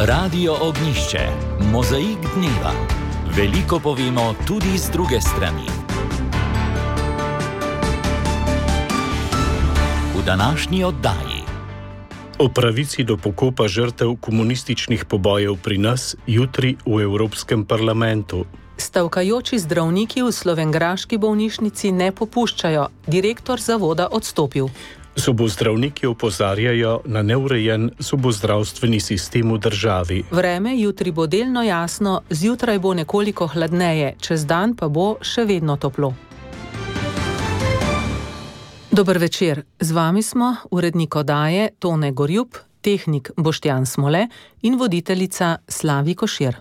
Radio Ognišče, mozaik dneva. Veliko povemo tudi z druge strani. V današnji oddaji. O pravici do pokopa žrtev komunističnih pobojev pri nas jutri v Evropskem parlamentu. Stavkajoči zdravniki v slovenjgraški bolnišnici ne popuščajo, direktor zavoda odstopil. Zobozdravniki opozarjajo na neurejen zobozdravstveni sistem v državi. Vreme jutri bo delno jasno, zjutraj bo nekoliko hladneje, čez dan pa bo še vedno toplo. Dober večer, z vami smo urednik oddaje Tone Gorjup, tehnik Boštjan Smole in voditeljica Slavi Košir.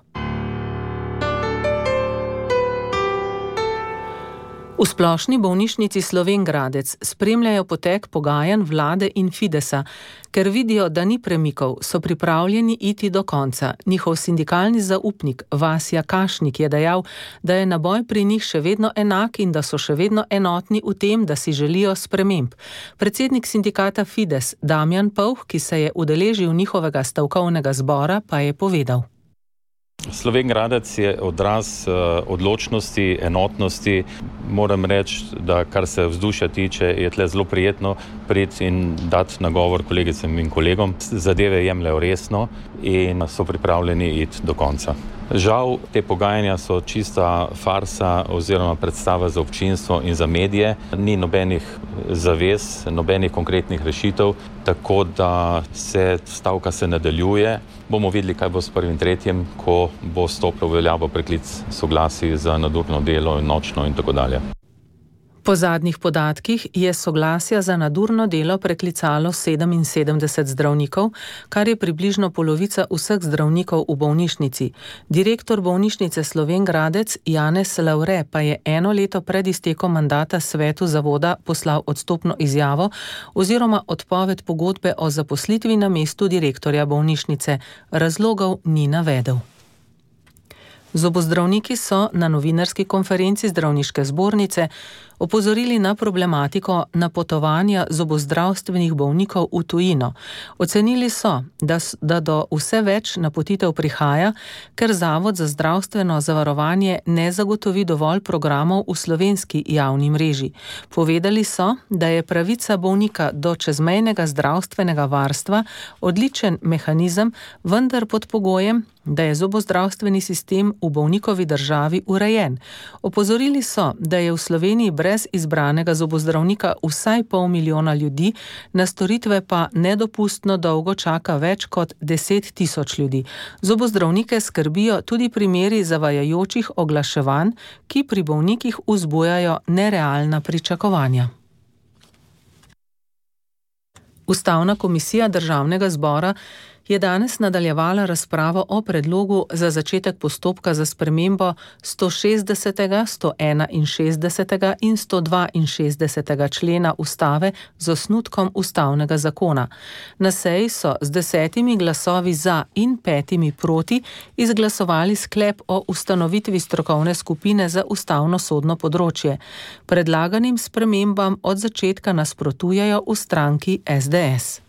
V splošni bolnišnici Slovenj Gradec spremljajo potek pogajanj vlade in Fidesa. Ker vidijo, da ni premikov, so pripravljeni iti do konca. Njihov sindikalni zaupnik Vasja Kašnik je dejal, da je naboj pri njih še vedno enak in da so še vedno enotni v tem, da si želijo sprememb. Predsednik sindikata Fides Damjan Povh, ki se je udeležil njihovega stavkovnega zbora, pa je povedal. Slovenj Gradec je odraz odločnosti, enotnosti. Moram reči, da kar se vzdušja tiče, je tle zelo prijetno priti in dati nagovor kolegicam in kolegom. Zadeve jemljejo resno in so pripravljeni iti do konca. Žal, te pogajanja so čista farsa oziroma predstava za občinstvo in za medije. Ni nobenih zavez, nobenih konkretnih rešitev, tako da stavka se nadaljuje. Bomo videli, kaj bo s 1.3., ko bo stopil v veljavo preklic soglasij za nadurno delo in nočno in tako dalje. Po zadnjih podatkih je soglasja za nadurno delo preklicalo 77 zdravnikov, kar je približno polovica vseh zdravnikov v bolnišnici. Direktor bolnišnice Slovenj Gradec Janez Lavre pa je eno leto pred iztekom mandata svetu zavoda poslal odstopno izjavo oziroma odpoved pogodbe o zaposlitvi na mestu direktorja bolnišnice. Razlogov ni navedel. Zobozdravniki so na novinarski konferenci zdravniške zbornice opozorili na problematiko napotovanja zobozdravstvenih bolnikov v tujino. Ocenili so, da do vse več napotitev prihaja, ker Zavod za zdravstveno zavarovanje ne zagotovi dovolj programov v slovenski javni mreži. Povedali so, da je pravica bolnika do čezmejnega zdravstvenega varstva odličen mehanizem, vendar pod pogojem, da je zobozdravstveni sistem v bolnikovi državi urejen. Opozorili so, da je v Sloveniji brez izbranega zobozdravnika vsaj 500 000 ljudi, na storitve pa nedopustno dolgo čaka več kot 10 000 ljudi. Zobozdravnike skrbijo tudi primeri zavajajočih oglaševanj, ki pri bolnikih vzbujajo nerealna pričakovanja. Ustavna komisija Državnega zbora je danes nadaljevala razpravo o predlogu za začetek postopka za spremembo 160., 161. in 162. člena ustave z osnutkom ustavnega zakona. Na seji so z 10 glasovi za in 5 proti izglasovali sklep o ustanovitvi strokovne skupine za ustavno-sodno področje. Predlaganim spremembam od začetka nasprotujejo v stranki SDS.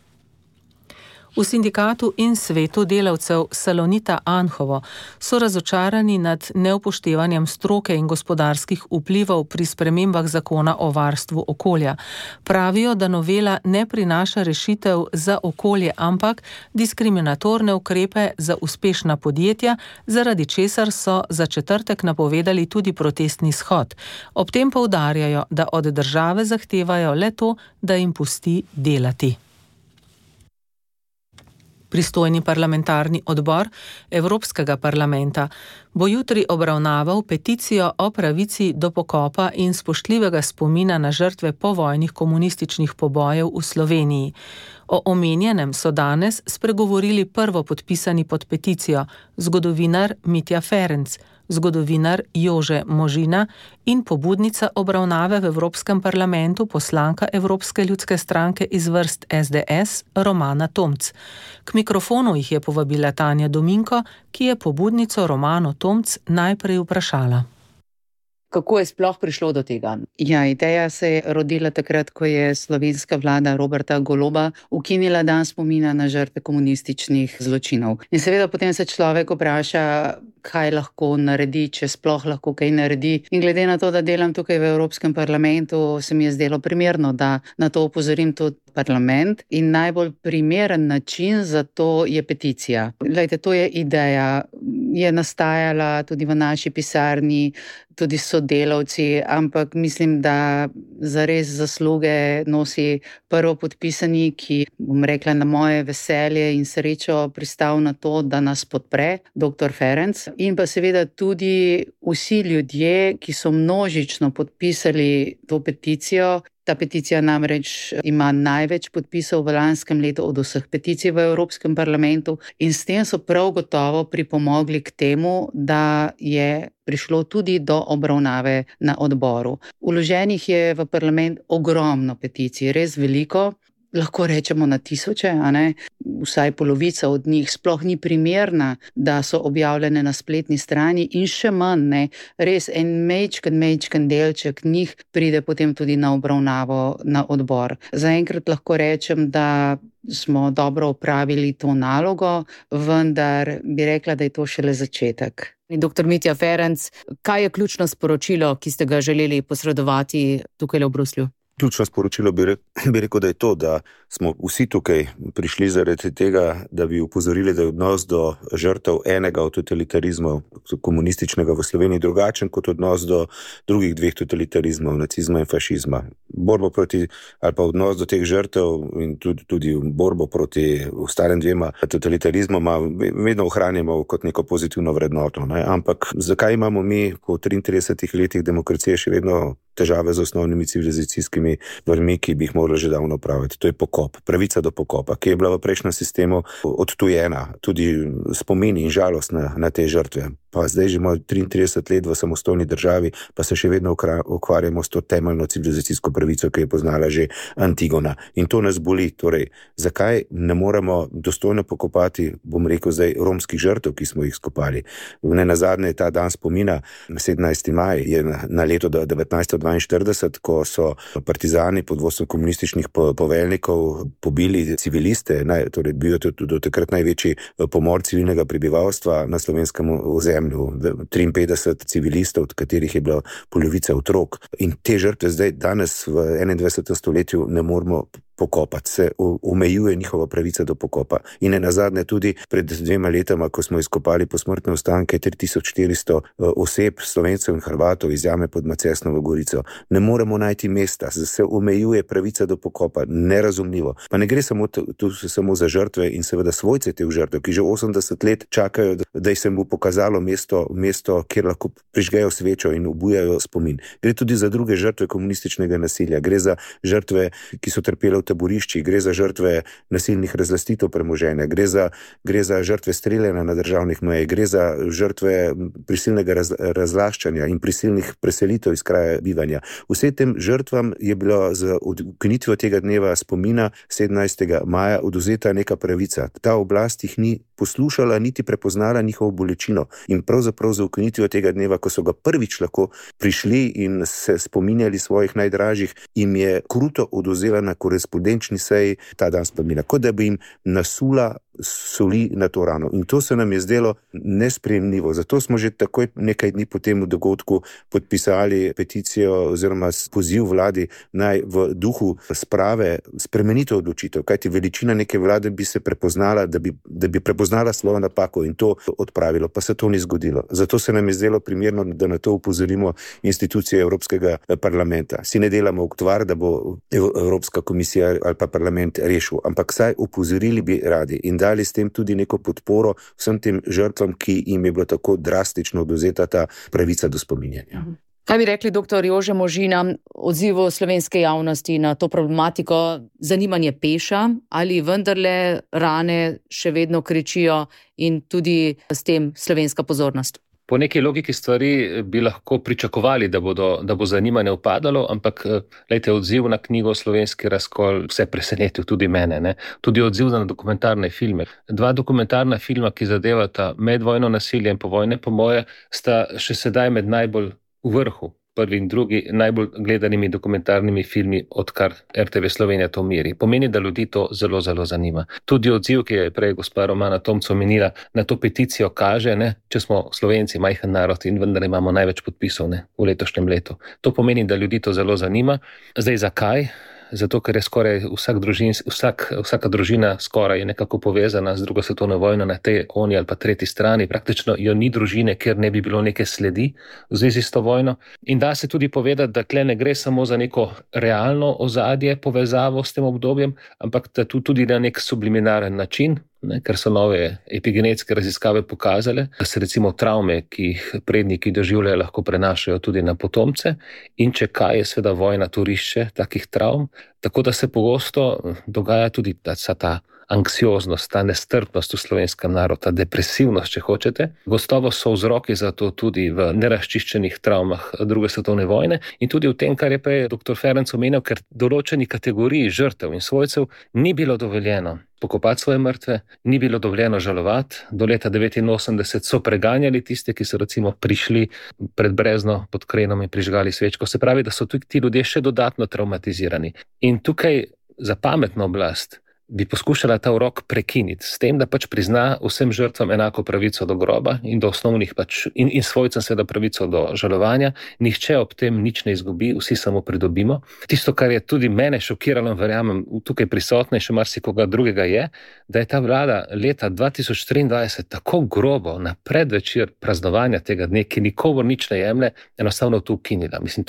V sindikatu in svetu delavcev Salonita Anhovo so razočarani nad neupoštevanjem stroke in gospodarskih vplivov pri spremembah zakona o varstvu okolja. Pravijo, da novela ne prinaša rešitev za okolje, ampak diskriminatorne ukrepe za uspešna podjetja, zaradi česar so za četrtek napovedali tudi protestni shod. Ob tem poudarjajo, da od države zahtevajo le to, da jim pusti delati. Pristojni parlamentarni odbor Evropskega parlamenta bo jutri obravnaval peticijo o pravici do pokopa in spoštljivega spomina na žrtve povojnih komunističnih pobojev v Sloveniji. O omenjenem so danes spregovorili prvopodpisani pod peticijo zgodovinar Mitja Ferenc, zgodovinar Jože Možina in pobudnica obravnave v Evropskem parlamentu poslanka Evropske ljudske stranke iz vrst SDS Romana Tomc. K mikrofonu jih je povabila Tanja Dominko, ki je pobudnico Romano Tomc najprej vprašala. Kako je sploh prišlo do tega? Ja, ideja se je rodila takrat, ko je slovenska vlada Roberta Goloba ukinila dan spomina na žrtve komunističnih zločinov. In seveda potem se človek vpraša, kaj lahko naredi, če sploh lahko kaj naredi. In glede na to, da delam tukaj v Evropskem parlamentu, se mi je zdelo primerno, da na to opozorim tudi parlament. In najbolj primeren način za to je peticija. Glejte, to je ideja, je nastajala tudi v naši pisarni, tudi sodelavci, ampak mislim, da zares zasluge nosi prvopodpisani, ki, bom rekla, na moje veselje in srečo pristal na to, da nas podpre, dr. Ferenc. In pa seveda tudi vsi ljudje, ki so množično podpisali to peticijo. Ta peticija namreč ima največ podpisov v lanskem letu od vseh peticij v Evropskem parlamentu in s tem so prav gotovo pripomogli k temu, da je prišlo tudi do obravnave na odboru. Vloženih je v parlament ogromno peticij, res veliko. Lahko rečemo na tisoče, a ne? Vsaj polovica od njih sploh ni primerna, da so objavljene na spletni strani in še manj, ne, res en majčken delček njih pride potem tudi na obravnavo na odbor. Zaenkrat lahko rečem, da smo dobro opravili to nalogo, vendar bi rekla, da je to šele začetek. Dr. Mitja Ferenc, kaj je ključno sporočilo, ki ste ga želeli posredovati tukaj v Bruslju? Ključno sporočilo bi rekel, da je to, da smo vsi tukaj prišli zaradi tega, da bi upozorili, da je odnos do žrtev enega od totalitarizmov, komunističnega v Sloveniji, drugačen kot odnos do drugih dveh totalitarizmov, nacizma in fašizma. Borbo proti, ali pa odnos do teh žrtev in tudi borbo proti ostalim dvema totalitarizmoma vedno ohranjamo kot neko pozitivno vrednoto. Ne? Ampak zakaj imamo mi po 33 letih demokracije še vedno težave z osnovnimi civilizacijskimi stvarmi, ki bi jih morali že davno opraviti? To je pokop, pravica do pokopa, ki je bila v prejšnjem sistemu odtujena, tudi spomini in žalost na te žrtve. Pa zdaj že imamo 33 let v samostojni državi, pa se še vedno ukvarjamo s to temeljno civilizacijsko pravico, ki je poznala že Antigona. In to nas boli. Torej, zakaj ne moremo dostojno pokopati, bom rekel zdaj, romskih žrtev, ki smo jih skopali? Nenazadnje ta dan spomina, 17. maj, je na leto 1942, ko so partizani pod vodstvom komunističnih poveljnikov pobili civiliste, torej bil je do takrat največji pomor civilnega prebivalstva na slovenskem ozemlju. 53 civilistov, od katerih je bila polovica otrok. In te žrtve zdaj danes v 21. stoletju ne moremo pokopati, se omejuje njihova pravica do pokopa. In nenazadnje tudi pred 2 letama, ko smo izkopali posmrtne ostanke 3400 oseb, Slovencev in Hrvatov iz jame pod Macesnovo Gorico, ne moremo najti mesta, se omejuje pravica do pokopa, nerazumljivo. Pa ne gre samo za žrtve in seveda svojce teh žrtev, ki že 80 let čakajo, da se mu pokazalo mesto, kjer lahko prižgejo svečo in obujajo spomin. Gre tudi za druge žrtve komunističnega nasilja, gre za žrtve, ki so trpele v taboriščih, gre za žrtve nasilnih razlastitev premoženja, gre za žrtve streljanja na državnih mejah, gre za žrtve prisilnega razlaščanja in prisilnih preselitev iz kraja bivanja. Vsem tem žrtvam je bilo z ukinitvijo tega dneva spomina 17. maja odvzeta neka pravica. Ta oblast jih ni poslušala, niti prepoznala njihovo bolečino. In pravzaprav za ukinitvijo tega dneva, ko so ga prvič lahko prišli in se spominjali svojih najdražjih, jim je kruto odvzela na korespondenčni seji ta dan spomina, kot da bi jim nasula soli na to rano. In to se nam je zdelo nesprejemljivo. Zato smo že takoj nekaj dni po tem dogodku podpisali peticijo oziroma poziv vladi naj v duhu sprave spremenite odločitev, kajti veličina neke vlade bi se prepoznala, da bi prepoznala svojo napako in to odpravilo, pa se to ni zgodilo. Zato se nam je zdelo primerno, da na to upozorimo institucije Evropskega parlamenta. Si ne delamo utvar, da bo Evropska komisija ali pa parlament rešil, ampak saj upozorili bi radi in dali s tem tudi neko podporo vsem tem žrtvam, ki jim je bilo tako drastično odvzeta ta pravica do spominjanja. Kaj bi rekli, dr. Jože Možina, odzivu slovenske javnosti na to problematiko? Zanimanje peša ali vendarle rane še vedno kričijo in tudi s tem slovenska pozornost? Po neki logiki stvari bi lahko pričakovali, da bo zanimanje upadalo, ampak lejte, odziv na knjigo Slovenski razkol vse presenetil, tudi mene. Ne? Tudi odziv na dokumentarne filme. 2 dokumentarna filma, ki zadevata medvojno nasilje in povojne pomoje, sta še sedaj med najbolj v vrhu prvi in drugi najbolj gledanimi dokumentarnimi filmi, odkar RTV Slovenija to meri. Pomeni, da ljudi to zelo, zelo zanima. Tudi odziv, ki je prej gospa Romana Tomc omenila, na to peticijo kaže, če smo Slovenci majhen narod in vendar imamo največ podpisov v letošnjem letu. To pomeni, da ljudi to zelo zanima. Zdaj, zakaj? Zato, ker je skoraj vsaka družina skoraj je nekako povezana z drugo svetovno vojno na tej, oni ali pa tretji strani. Praktično jo ni družine, ker ne bi bilo neke sledi v zvezi s to vojno. In da se tudi povedati, da tle ne gre samo za neko realno ozadje, povezavo s tem obdobjem, ampak da tu tudi na nek subliminaren način, ker so nove epigenetske raziskave pokazale, da se recimo travme, ki jih predniki doživljajo, lahko prenašajo tudi na potomce, in če kaj je seveda vojna torišče takih travm, tako da se pogosto dogaja tudi ta anksioznost, ta nestrpnost v slovenskem narodu, ta depresivnost, če hočete. Gotovo so vzroki za to tudi v nerazčiščenih travmah druge svetovne vojne in tudi v tem, kar je prej dr. Ferenc omenil, ker določeni kategoriji žrtev in svojcev ni bilo dovoljeno pokopati svoje mrtve, ni bilo dovoljeno žalovati. Do leta 1989 so preganjali tiste, ki so recimo prišli pred brezno pod krenom in prižgali svečko. Se pravi, da so tudi ti ljudje še dodatno travmatizirani. In tukaj za pametno oblast bi poskušala ta urok prekiniti s tem, da prizna vsem žrtvam enako pravico do groba in do osnovnih in svojcem seveda pravico do žalovanja. Nihče ob tem nič ne izgubi, vsi samo pridobimo. Tisto, kar je tudi mene šokiralo, verjamem, tukaj prisotne in še marsikoga drugega je, da je ta vlada leta 2023 tako grobo na predvečer praznovanja tega dne, ki nikomur nič ne jemlje, enostavno to ukinila. Mislim,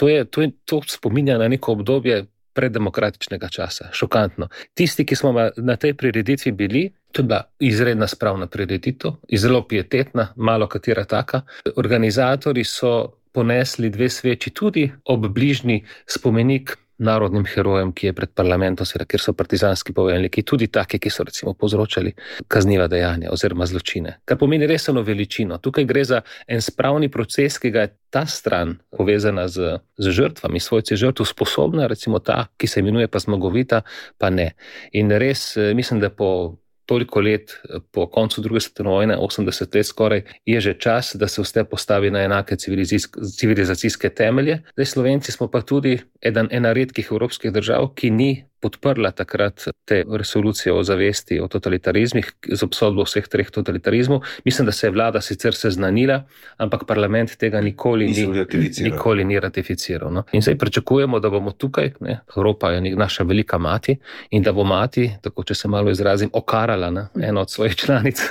to spominja na neko obdobje preddemokratičnega časa. Šokantno. Tisti, ki smo na tej prireditvi bili, to je bila izredna spravna prireditev, zelo pietetna, malo katera taka. Organizatori so ponesli 2 sveči tudi ob bližnji spomenik narodnim herojem, ki je pred parlamentom, kjer so partizanski poveljniki, tudi taki, ki so recimo povzročali kazniva dejanja oziroma zločine. Kar pomeni resno veličino. Tukaj gre za en spravni proces, ki ga je ta stran povezana z žrtvami, svojci žrtv sposobna, recimo ta, ki se imenuje pa zmagovita, pa ne. In res mislim, da po toliko let po koncu druge svetovne vojne, 80 let skoraj, je že čas, da se vse postavi na enake civilizacijske temelje. Zdaj Slovenci smo pa tudi ena redkih evropskih držav, ki ni podprla takrat te resolucije o zavesti o totalitarizmih z obsodbo vseh 3 totalitarizmov. Mislim, da se je vlada sicer seznanila, ampak parlament tega nikoli ni ratificiral. No? In zdaj pričakujemo, da bomo tukaj, Evropa je naša velika mati, in da bo mati, tako če se malo izrazim, okarala eno od svojih članic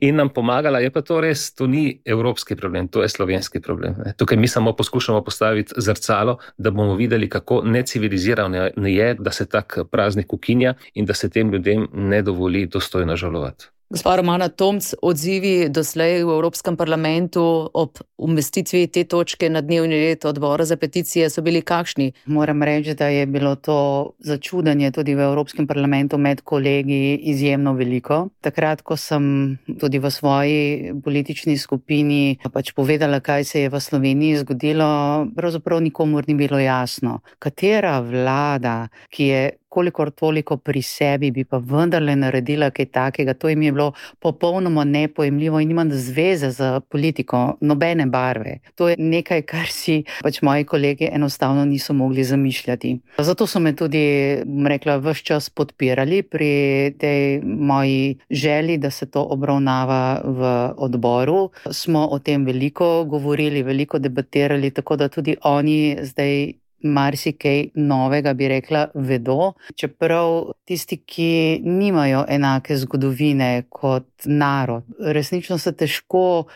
in nam pomagala. Je pa to res, to ni evropski problem, to je slovenski problem. Tukaj mi samo poskušamo postaviti zrcalo, da bomo videli, kako necivilizirano je, da se tak praznik ukinja in da se tem ljudem ne dovoli dostojno žalovati. Gospa Romana Tomc, odzivi doslej v Evropskem parlamentu ob umestitvi te točke na dnevni red odbora za peticije so bili kakšni? Moram reči, da je bilo to začudenje tudi v Evropskem parlamentu med kolegi izjemno veliko. Takrat, ko sem tudi v svoji politični skupini povedala, kaj se je v Sloveniji zgodilo, pravzaprav nikomur ni bilo jasno, katera vlada, ki je kolikor toliko pri sebi, bi pa vendarle naredila kaj takega. To jim je bilo popolnoma nepojemljivo in nima zveze z politiko, nobene barve. To je nekaj, kar si moji kolegi enostavno niso mogli zamišljati. Zato so me tudi, rekla, ves čas podpirali pri tej moji želji, da se to obravnava v odboru. Smo o tem veliko govorili, veliko debatirali, tako da tudi oni zdaj marsikaj novega, bi rekla, vedo. Čeprav tisti, ki nimajo enake zgodovine kot narod, resnično se težko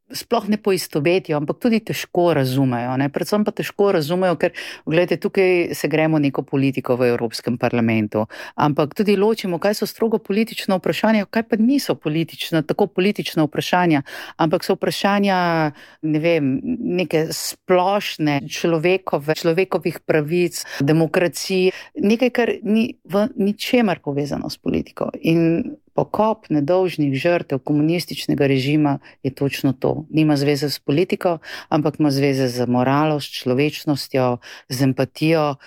sploh ne poistovetijo, ampak tudi težko razumejo. Predvsem pa težko razumejo, ker gledajte, tukaj se gremo neko politiko v Evropskem parlamentu, ampak tudi ločimo, kaj so strogo politična vprašanja, kaj pa niso tako politična vprašanja, ampak so vprašanja, neke splošne človekovih pravic, demokracije, nekaj, kar ni v ničemer povezano s politiko. In pokop nedolžnih žrtev komunističnega režima je točno to. Nima zveze s politiko, ampak ima zveze z moralo, s človečnostjo, z empatijo.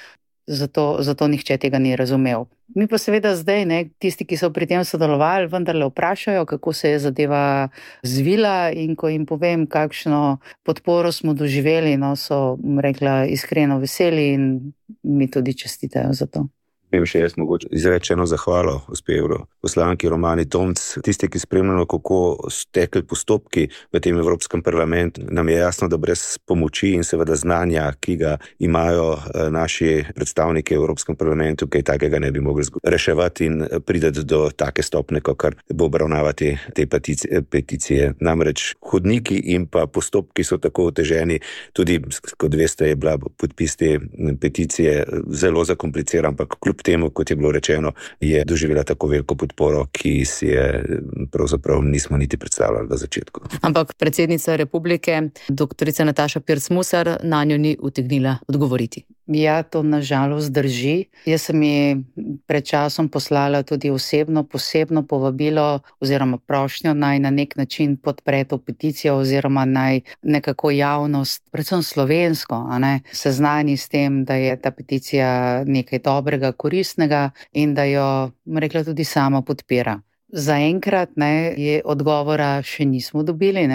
zato nihče tega ni razumel. Mi pa seveda zdaj, tisti, ki so pri tem sodelovali, vendarle vprašajo, kako se je zadeva zvila, in ko jim povem, kakšno podporo smo doživeli, so rekla iskreno veseli in mi tudi čestitajo za to. Vem še jaz mogoče izreči eno zahvalo gospe poslanki Romani Tomc. Tisti, ki spremljamo, kako so tekli postopki v tem Evropskem parlamentu, nam je jasno, da brez pomoči in seveda znanja, ki ga imajo naši predstavniki v Evropskem parlamentu, kaj takega ne bi mogli reševati in prideti do take stopne, kar bo obravnavati te peticije. Namreč hodniki in pa postopki so tako oteženi, tudi, kot veste, je bila podpis te peticije zelo zakompliciran, ampak kljub temu, kot je bilo rečeno, je doživela tako veliko podporo, ki si je pravzaprav nismo niti predstavljali v začetku. Ampak predsednica republike, doktorica Nataša Pirc Musar, na njo ni utegnila odgovoriti. Ja, to nažalost drži. Jaz sem ji pred časom poslala tudi osebno posebno povabilo oziroma prošnjo, naj na nek način podpre to peticijo oziroma naj nekako javnost, predvsem slovensko, seznani s tem, da je ta peticija nekaj dobrega, koristnega in da jo, rekla, tudi sama podpira. Zaenkrat je odgovora še nismo dobili,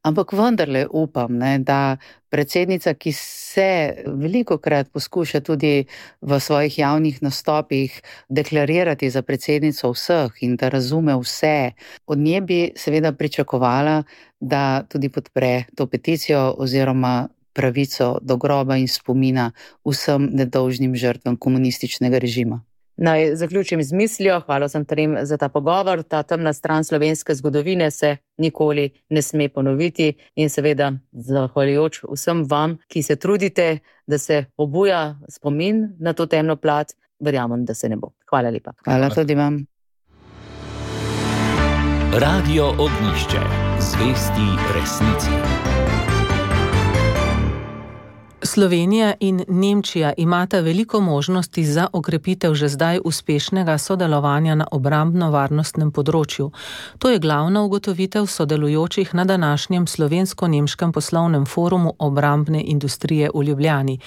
ampak vendarle upam, da predsednica, ki se velikokrat poskuša tudi v svojih javnih nastopih deklarirati za predsednico vseh in da razume vse, od nje bi seveda pričakovala, da tudi podpre to peticijo oziroma pravico do groba in spomina vsem nedolžnim žrtvam komunističnega režima. Naj zaključim z mislijo, hvala sem trem za ta pogovor. Ta temna stran slovenske zgodovine se nikoli ne sme ponoviti in seveda zahvaljujoč vsem vam, ki se trudite, da se obuja spomin na to temno plat, verjamem, da se ne bo. Hvala lepa. Hvala tudi vam. Radio Ognjišče. Zvesti resnici. Slovenija in Nemčija imata veliko možnosti za okrepitev že zdaj uspešnega sodelovanja na obrambno-varnostnem področju. To je glavna ugotovitev sodelujočih na današnjem slovensko-nemškem poslovnem forumu obrambne industrije v Ljubljani.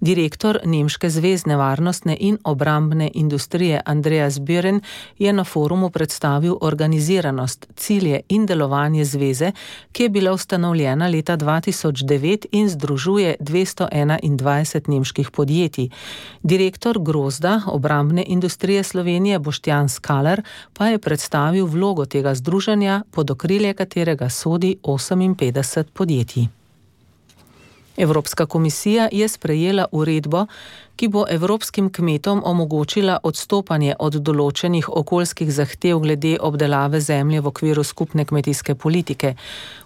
Direktor Nemške zvezne varnostne in obrambne industrije Andreas Bühren je na forumu predstavil organiziranost, cilje in delovanje zveze, ki je bila ustanovljena leta 2009 in združuje 221 nemških podjetij. Direktor Grozda obrambne industrije Slovenije Boštjan Skaler pa je predstavil vlogo tega združenja, pod okrilje katerega sodi 58 podjetij. Evropska komisija je sprejela uredbo, ki bo evropskim kmetom omogočila odstopanje od določenih okoljskih zahtev glede obdelave zemlje v okviru skupne kmetijske politike.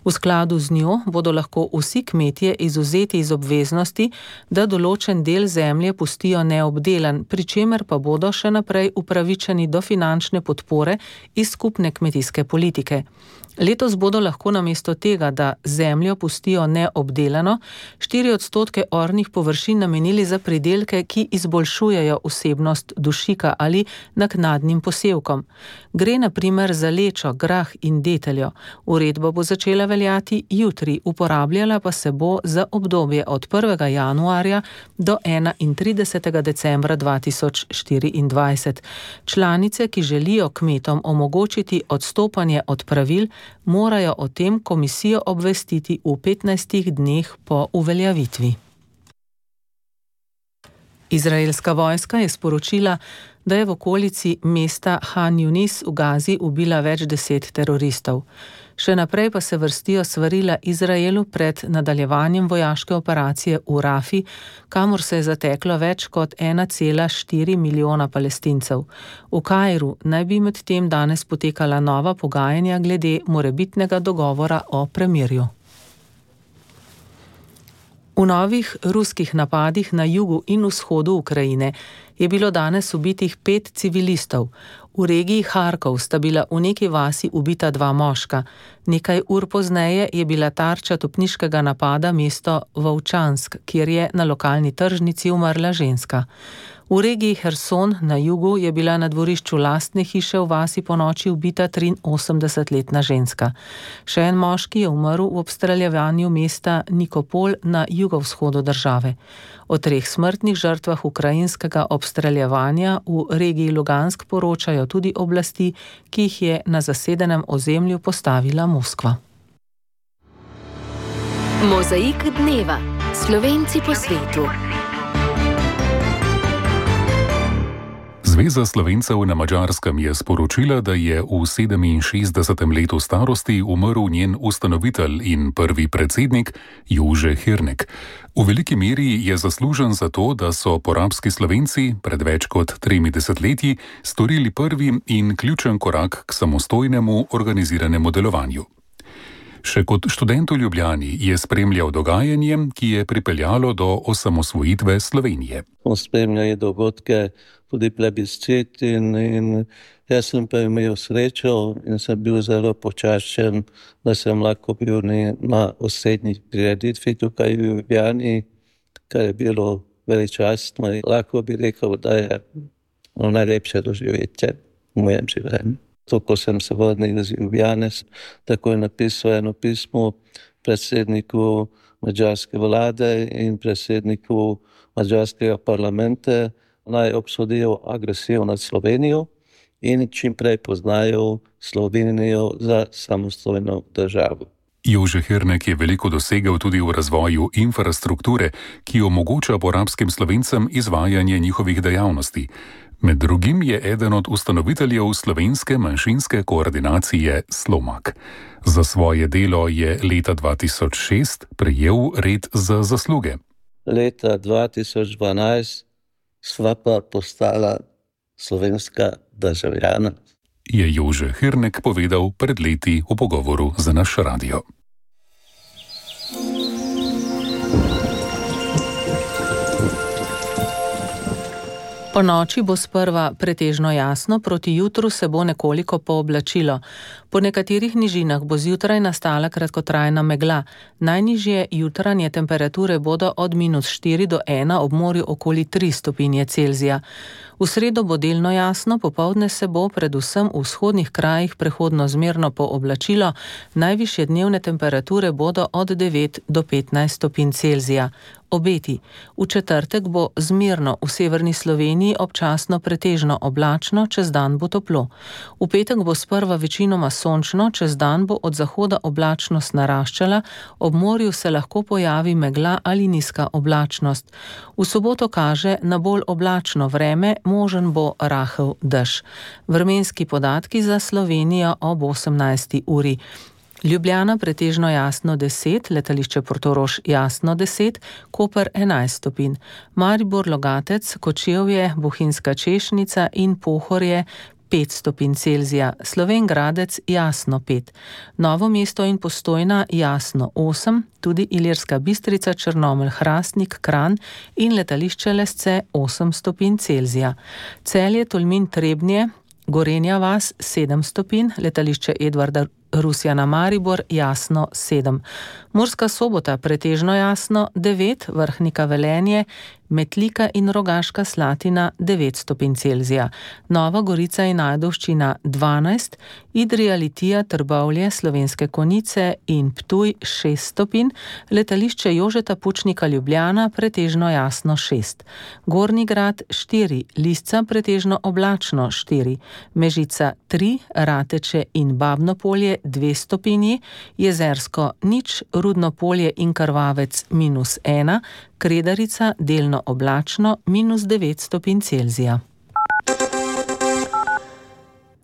V skladu z njo bodo lahko vsi kmetje izvzeti iz obveznosti, da določen del zemlje pustijo neobdelan, pri čemer pa bodo še naprej upravičeni do finančne podpore iz skupne kmetijske politike. Letos bodo lahko namesto tega, da zemljo pustijo neobdelano, 4% ornih površin namenili za pridelke, ki izboljšujejo vsebnost dušika ali naknadnim posevkom. Gre na primer za lečo, grah in deteljo. Uredba bo začela veljati jutri, uporabljala pa se bo za obdobje od 1. januarja do 31. decembra 2024. Članice, ki želijo kmetom omogočiti odstopanje od pravil, morajo o tem komisijo obvestiti v 15 dneh po uveljavitvi. Izraelska vojska je sporočila, da je v okolici mesta Han Yunis v Gazi ubila več 10 teroristov. Še naprej pa se vrstijo svarila Izraelu pred nadaljevanjem vojaške operacije v Rafi, kamor se je zateklo več kot 1,4 milijona Palestincev. V Kairu naj bi medtem danes potekala nova pogajanja glede morebitnega dogovora o premirju. V novih ruskih napadih na jugu in vzhodu Ukrajine je bilo danes ubitih 5 civilistov. V regiji Harkov sta bila v neki vasi ubita 2 moška. Nekaj ur pozneje je bila tarča topniškega napada mesto Volčansk, kjer je na lokalni tržnici umrla ženska. V regiji Herson na jugu je bila na dvorišču lastne hiše v vasi ponoči ubita 83-letna ženska. Še en moški je umrl v obstreljevanju mesta Nikopol na jugovzhodu države. O 3 smrtnih žrtvah ukrajinskega obstreljevanja v regiji Lugansk poročajo tudi oblasti, ki jih je na zasedenem ozemlju postavila Moskva. Mozaik dneva. Slovenci po svetu. Zveza Slovencev na Madžarskem je sporočila, da je v 67. letu starosti umrl njen ustanovitelj in prvi predsednik Jože Hirnek. V veliki meri je zaslužen za to, da so porabski Slovenci pred več kot 3 desetletji storili prvi in ključen korak k samostojnemu organiziranemu delovanju. Še kot študent v Ljubljani je spremljal dogajanje, ki je pripeljalo do osamosvojitve Slovenije. Spremljali dogodke, tudi plebiscit in jaz sem pa imel srečo in sem bil zelo počaščen, da sem lahko bil na osrednji prireditvi tukaj v Ljubljani, kar je bilo veličastno. Lahko bi rekel, da je najlepše doživetje v mojem življenju. Ko sem se vrnil iz Ljubljane, tako je napisal eno pismo predsedniku madžarske vlade in predsedniku madžarskega parlamenta, naj obsodijo agresijo nad Slovenijo in čim prej poznajo Slovenijo za samostojno državo. Jože Hirnek je veliko dosegel tudi v razvoju infrastrukture, ki omogoča porabskim Slovencem izvajanje njihovih dejavnosti. Med drugim je eden od ustanoviteljev slovenske manjšinske koordinacije Slomak. Za svoje delo je leta 2006 prejel red za zasluge. Leta 2012 sva pa postala slovenska državljana. Je Jože Hirnek povedal pred leti v pogovoru za naš radio. Po noči bo sprva pretežno jasno, proti jutru se bo nekoliko pooblačilo. Po nekaterih nižinah bo zjutraj nastala kratkotrajna megla. Najnižje jutranje temperature bodo od -4 do 1, ob morju okoli 3 stopinje Celzija. V sredo bo delno jasno, popoldne se bo predvsem v vzhodnih krajih prehodno zmerno pooblačilo. Najvišje dnevne temperature bodo od 9 do 15 stopinj Celzija. Obeti. V četrtek bo zmerno v severni Sloveniji, občasno pretežno oblačno, čez dan bo toplo. V petek bo sprva večinoma sončno, čez dan bo od zahoda oblačnost naraščala, ob morju se lahko pojavi megla ali nizka oblačnost. V soboto kaže na bolj oblačno vreme, možen bo rahel dež. Vremenski podatki za Slovenijo ob 18. uri. Ljubljana pretežno jasno 10, letališče Portorož jasno 10, Koper 11 stopinj, Maribor, Logatec, Kočevje, Bohinjska Češnica in Pohorje 5 stopinj Celzija, Slovenj Gradec jasno 5, Novo mesto in Postojna jasno 8, tudi Ilirska Bistrica, Črnomelj, Hrastnik, Kranj in letališče Lesce 8 stopinj Celzija, Celje, Tolmin, Trebnje, Gorenja vas 7 stopinj, letališče Edvarda Rusjana Maribor jasno 7. Murska Sobota pretežno jasno 9, Vrhnika Velenje, Metlika in Rogaška Slatina 9 stopinj Celzija, Nova Gorica in Ajdovščina 12, Idrija, Litija, Trbovlje, Slovenske Konjice in Ptuj 6 stopinj, letališče Jožeta Pučnika Ljubljana pretežno jasno 6, Gornji Grad 4, Lisca pretežno oblačno 4, Mežica 3, Rateče in Babno Polje 2 stopinji, Jezersko 0, Rudno Polje in Krvavec -1, Kredarica delno oblačno -9 stopinj Celzija.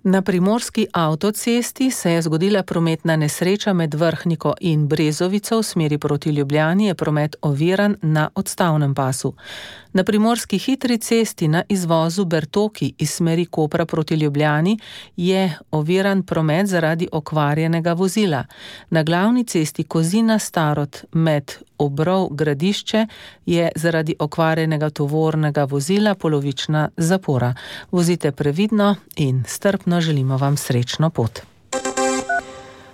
Na primorski avtocesti se je zgodila prometna nesreča med Vrhniko in Brezovico v smeri proti Ljubljani, je promet oviran na odstavnem pasu. Na primorski hitri cesti na izvozu Bertoki iz smeri Kopra proti Ljubljani je oviran promet zaradi okvarjenega vozila. Na glavni cesti Kozina Starod med Obrov Gradišče je zaradi okvarjenega tovornega vozila polovična zapora. Vozite previdno in strpno, želimo vam srečno pot.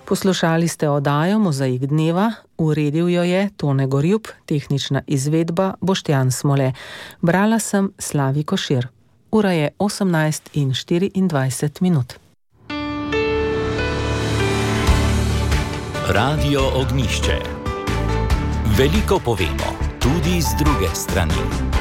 Poslušali ste oddajo Mozaik dneva, uredil jo je Tone Gorjup, tehnična izvedba Boštjan Smole. Brala sem Slavi Košir. Ura je 18:24. Radio Ognjišče. Veliko povemo, tudi z druge strani.